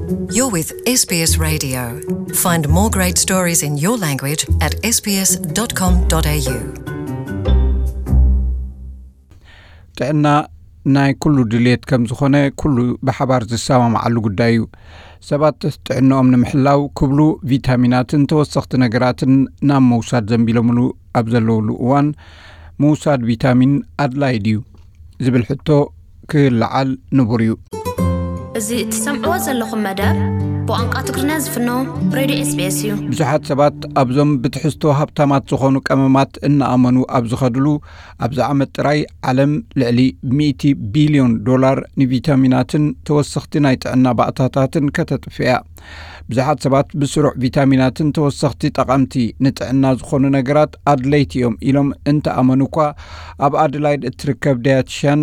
You're with S B S Radio. Find more great stories in your language at S B S dot com dot A U. ጥዕና ናይ ኩሉ ድልየት ከም ዝኾነ ኩሉ ብሓባር ዝሰማማዓሉ ጉዳይ እዩ። ሰባት ጥዕንኦም ንምሕላው ክብሉ ቪታሚናትን ተወሰኽቲ ነገራትን ናብ ምውሳድ ዘንቢሎምሉ ኣብ ዘለውሉ እዋን፣ ምውሳድ ቪታሚን ኣድላይ ድዩ ዝብል ሕቶ ክለዓል ንቡር እዩ። እዚ እትሰምዕዎ ዘለኹም መደብ ብቋንቋ ትግርኛ ዝፍኖ ሬድዮ S B S እዩ። ብዙሓት ሰባት ኣብዞም ብትሕዝቶ ሃብታማት ዝኾኑ ቀመማት እናኣመኑ ኣብ ዝኸድሉ፣ ኣብዚ ዓመት ጥራይ ዓለም ልዕሊ ሚእቲ ቢልዮን ዶላር ንቪታሚናትን ተወሰኽቲ ናይ ጥዕና ባእታታትን ከተጥፍእ እያ። ብዙሓት ሰባት ብስሩዕ ቪታሚናትን ተወሰኽቲ ጠቓምቲ ንጥዕና ዝኾኑ ነገራት ኣድለይቲ እዮም ኢሎም እንተኣመኑ እኳ፣ ኣብ ኣደላይድ እትርከብ ዳያትሽያን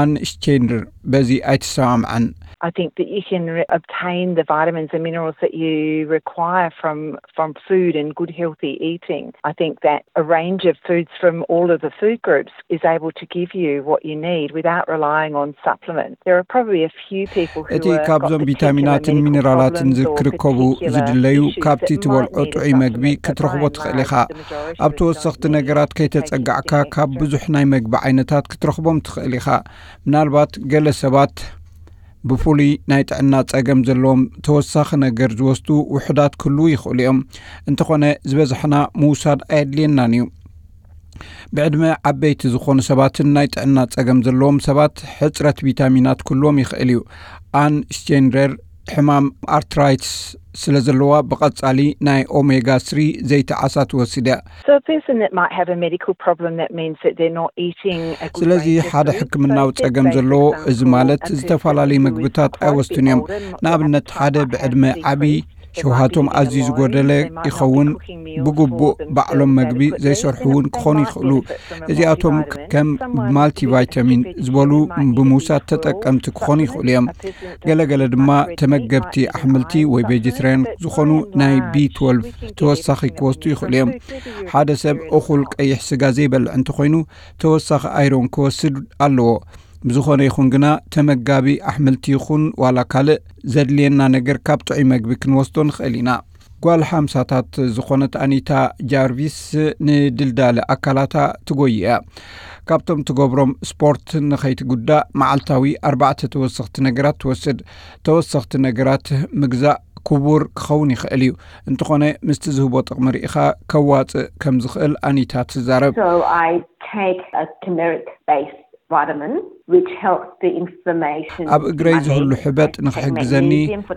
ኣን ሽቴንደር በዚ ኣይትሰማምዓን። I think that you can re- obtain the vitamins and minerals that you require from, from food and good healthy eating. I think that a range of foods from all of the food groups is able to give you what you need without relying on supplements. There are probably a few people who እቲ are got ካብዞም particular ቪታሚናትን medical ሚነራላትን problems or ዝክርከቡ particular ዝድለዩ issues ካብቲ that ትበልዖ might need a ጥዑይ መግቢ supplement ክትረኽቦ that ትኽእል won't ኢኻ። Have the majority ኣብ of those ተወሰኽቲ needs ነገራት taken ከይተጸጋዕካ care ካብ of. ብዙሕ ናይ መግቢ ዓይነታት ክትረኽቦም ትኽእል ኢኻ። ምናልባት ገለ ሰባት ብፍሉይ ናይ ጥዕና ጸገም ዘለዎም ተወሳኺ ነገር ዝወስዱ ውሑዳት ክህልዉ ይኽእሉ እዮም። እንተኾነ ዝበዝሕና ምውሳድ ኣየድልየናን እዩ። ብዕድመ ዓበይቲ ዝኾኑ ሰባትን ናይ ጥዕና ጸገም ዘለዎም ሰባት ሕጽረት ቪታሚናት ክህልዎም ይኽእል እዩ። ኣን ሽቴንደር ሕማም ኣርትራይትስ ስለ ዘለዋ ብቐጻሊ ናይ ኦሜጋ ስሪ ዘይቲ ዓሳ ትወስድ እያ። So a person that might have a medical problem, that means that they're not eating a good ስለዚ ሓደ ሕክምናዊ ጸገም ዘለዎ፣ እዚ ማለት ዝተፈላለዩ ምግብታት ኣይወስዱን እዮም። ንኣብነት ሓደ ብዕድመ ዓቢ ሸውሃቶም ኣዝዩ ዝጎደለ ይኸውን፣ ብግቡእ ባዕሎም መግቢ ዘይሰርሑ እውን ክኾኑ ይኽእሉ። እዚኣቶም ከም ማልቲቫይታሚን ዝበሉ ብምውሳድ ተጠቀምቲ ክኾኑ ይኽእሉ እዮም። ገለገለ ድማ ተመገብቲ ኣሕምልቲ ወይ ቬጀትርያን ዝኾኑ ናይ ቢ ትወልቭ ተወሳኺ ክወስዱ ይኽእሉ እዮም። ሓደ ሰብ እኹል ቀይሕ ስጋ ዘይበልዕ እንተኾይኑ ተወሳኺ ኣይሮን ክወስድ ኣለዎ። ብዝኾነ ይኹን ግና ተመጋቢ ኣሕምልቲ ይኹን ዋላ ካልእ ዘድልየና ነገር ካብ ጥዑይ መግቢ ክንወስዶ ንኽእል ኢና። ጓል ሓምሳታት ዝኾነት ኣኒታ ጃርቪስ ንድልዳለ ኣካላታ ትጎይ እያ። ካብቶም ትገብሮም ስፖርት ንኸይትጉዳእ መዓልታዊ ኣርባዕተ ተወሰኽቲ ነገራት ትወስድ። ተወሰኽቲ ነገራት ምግዛእ ክቡር ክኸውን ይኽእል እዩ፣ እንተኾነ ምስቲ ዝህቦ ጥቕሚ ርኢኻ ከዋጽእ ከም ዝኽእል ኣኒታ ትዛረብ። So I take a turmeric based vitamin which helps the inflammation ኣብ እግረይ ዝህሉ ሕበጥ ንኽሕግዘኒ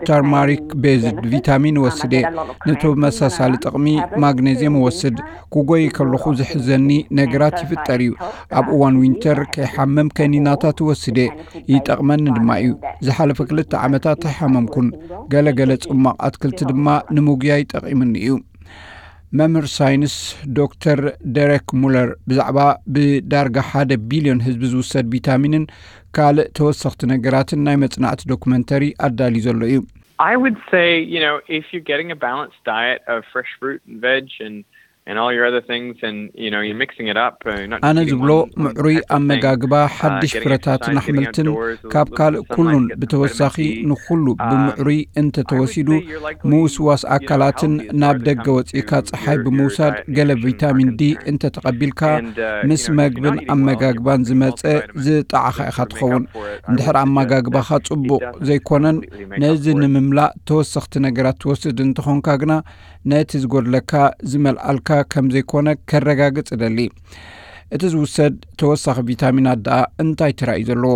ተርማሪክ ቤዝድ ቪታሚን እወስድ እየ። ንተመሳሳሊ ጥቕሚ ማግኔዝየም እወስድ። ክጎይ ከለኹ ዝሕዘኒ ነገራት ይፍጠር እዩ። ኣብ እዋን ዊንተር ከይሓምም ከኒናታት እወስድ እየ። ይጠቕመኒ ድማ እዩ። ዝሓለፈ ክልተ ዓመታት ኣይሓመምኩን። ገለ ገለ ጽማቕ ኣትክልቲ ድማ ንምጉያይ ጠቒሙኒ እዩ። መምህር ሳይንስ ዶክተር ደረክ ሙለር ብዛዕባ ብዳርጋ ሓደ ቢልዮን ህዝቢ ዝውሰድ ቪታሚንን ካልእ ተወሰኽቲ ነገራትን ናይ መጽናዕቲ ዶኩመንተሪ ኣዳልዩ ዘሎ እዩ። I would say, you know, if you're getting a balanced diet of fresh fruit and veg and and all your other things, and you know, you're mixing it up. Uh, not just ኣነ eating ዝብሎ one, one ምዕሩይ type of thing. ኣመጋግባ Uh, ሓድሽ getting ፍረታትን exercise, getting ኣሕምልትን outdoors, a ካብ little ካልእ sunlight, ኩሉን get some ብተወሳኺ vitamin D. ንኹሉ Uh, ብምዕሩይ እንተተወሲዱ I would say you're likely ምውስዋስ you know, ኣካላትን healthiest ናብ side to ደገ come ወጺእካ to ጸሓይ your, your, ብምውሳድ uh, ገለ nutrition ቪታሚን ዲ concern. እንተተቐቢልካ And, uh, ምስ you know, if you're መግብን not eating well, you're ኣመጋግባን probably ዝመጸ multivitamins ዝጠዓኻ ኢኻ to make ትኸውን። Up for it. I እንድሕር would suggest ኣመጋግባኻ that ጽቡቕ it doesn't ዘይኮነን completely make ነዚ up for it. ንምምላእ ተወሰኽቲ ነገራት ትወስድ እንተኾንካ ግና ነቲ ዝጎድለካ ዝመልኣልካ ከም ዘይኮነ ከረጋግጽ እደሊ። እቲ ዝውሰድ ተወሳኺ ቪታሚናት ደኣ እንታይ ተራእዩ ዘለዎ?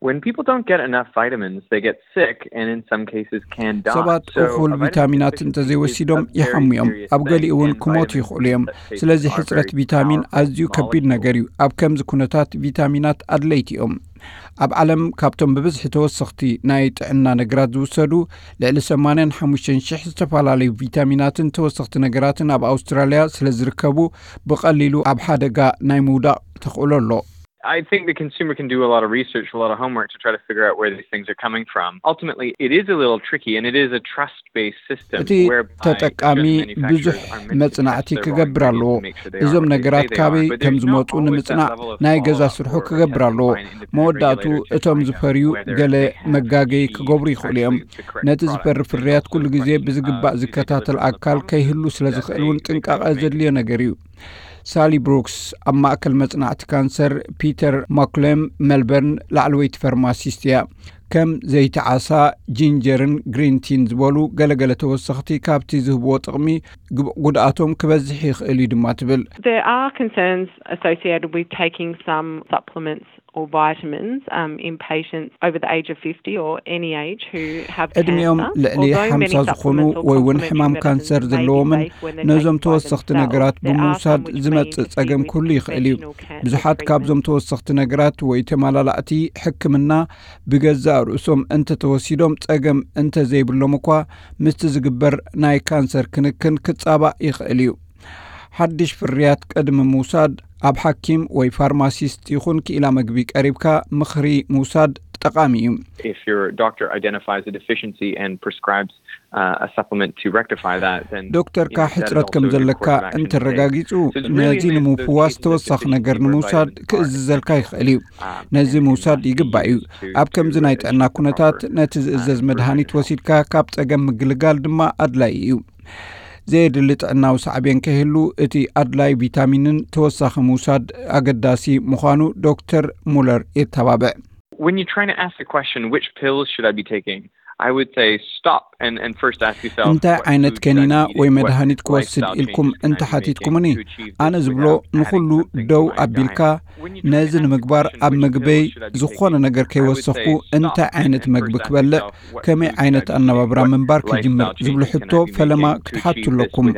When people don't get enough vitamins, they get sick and in some cases can die. ሰባት እኹል ቪታሚናት እንተዘይወሲዶም ይሓሙ እዮም። ኣብ ገሊኡ እውን ክሞቱ ይኽእሉ እዮም። ስለዚ ሕፅረት ቪታሚን ኣዝዩ ከቢድ ነገር እዩ። ኣብ ከምዚ ኩነታት ቪታሚናት ኣድለይቲ እዮም። ኣብ ዓለም ካብቶም ብብዝሒ ተወሰኽቲ ናይ ጥዕና ነገራት ዝውሰዱ ልዕሊ ሰማንያን ሓሙሽተን ሽሕ ዝተፈላለዩ ቪታሚናትን ተወሰኽቲ ነገራትን ኣብ ኣውስትራልያ ስለ ዝርከቡ ብቐሊሉ ኣብ ሓደጋ ናይ ምውዳቕ ተኽእሎ ኣሎ። I think the consumer can do a lot of research, a lot of homework to try to figure out where these things are coming from. Ultimately, it is a little tricky, and it is a trust-based system እቲ ተጠቃሚ ብዙሕ መጽናዕቲ ክገብር ኣለዎ። እዞም ነገራት ካበይ ከም ዝመጹ ንምጽናዕ ናይ ገዛ ስርሑ ክገብር ኣለዎ። መወዳእቱ እቶም ዝፈርዩ ገለ መጋገይ ክገብሩ ይኽእሉ እዮም። ነቲ ዝፈሪ ፍርያት ኩሉ ግዜ ብዝግባእ ዝከታተል ኣካል ከይህሉ ስለ ዝኽእል እውን ጥንቃቐ ዘድልዮ ነገር እዩ። ሳሊ ብሩክስ ኣብ ማእከል መጽናዕቲ ካንሰር ፒተር ማኩሌም ሜልበርን ላዕለወይቲ ፋርማሲስት እያ። ከም ዘይቲ ዓሳ፣ ጂንጀርን ግሪን ቲን ዝበሉ ገለገለ ተወሰኽቲ ካብቲ ዝህብዎ ጥቕሚ ጉድኣቶም ክበዝሕ ይኽእል እዩ ድማ ትብል። There are concerns associated with taking some supplements or vitamins um, in patients over the age of fifty or any age who have ዕድሚኦም ልዕሊ ሓምሳ ዝኾኑ ወይ እውን ሕማም ካንሰር ዘለዎምን ነዞም ተወሰኽቲ ነገራት ብምውሳድ ዝመጽእ ጸገም ክህሉ ይኽእል እዩ። ብዙሓት ካብዞም ተወሰኽቲ ነገራት ወይ ተመላላእቲ ሕክምና ብገዛእ ርእሶም እንተተወሲዶም ጸገም እንተዘይብሎም እኳ ምስቲ ዝግበር ናይ ካንሰር ክንክን ክጻባእ ይኽእል እዩ። ሓድሽ ፍርያት ቅድሚ ምውሳድ ኣብ ሓኪም ወይ ፋርማሲስት ይኹን ክኢላ መግቢ ቀሪብካ ምኽሪ ምውሳድ ጠቓሚ እዩ። If your doctor identifies a deficiency and prescribes uh, a supplement to rectify that, then ዶክተርካ ሕጽረት ከም ዘለካ እንተረጋጊጹ ነዚ ንምፍዋስ ተወሳኺ ነገር ንምውሳድ ክእዝዘልካ ይኽእል እዩ። ነዚ ምውሳድ ይግባእ እዩ። ኣብ ከምዚ ናይ ጥዕና ኩነታት ነቲ ዝእዘዝ መድሃኒት ወሲድካ ካብ ጸገም ምግልጋል ድማ ኣድላይ እዩ። ዘየድሊ ጥዕናዊ ሳዕቤን ከይህሉ እቲ ኣድላይ ቪታሚንን ተወሳኺ ምውሳድ ኣገዳሲ ምዃኑ ዶክተር ሙለር የተባብዕ። When you're trying to ask the question, which pills should I be taking? I would say stop and, and first ask yourself. እንታይ ዓይነት ከኒና ወይ መድሃኒት ክወስድ ኢልኩም እንተ ሓቲትኩምኒ፣ ኣነ ዝብሎ ንኹሉ ደው ኣቢልካ ነዚ ንምግባር ኣብ ምግበይ ዝኾነ ነገር ከይወሰኽኩ እንታይ ዓይነት መግቢ ክበልዕ፣ ከመይ ዓይነት ኣነባብራ ምንባር ክጅምር ዝብሉ ሕቶ ፈለማ ክትሓቱ ኣለኩም።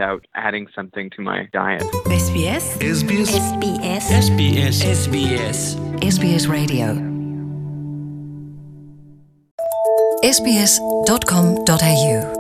Adding something to my diet. SBS SBS SBS SBS SBS SBS Radio sbs.com.au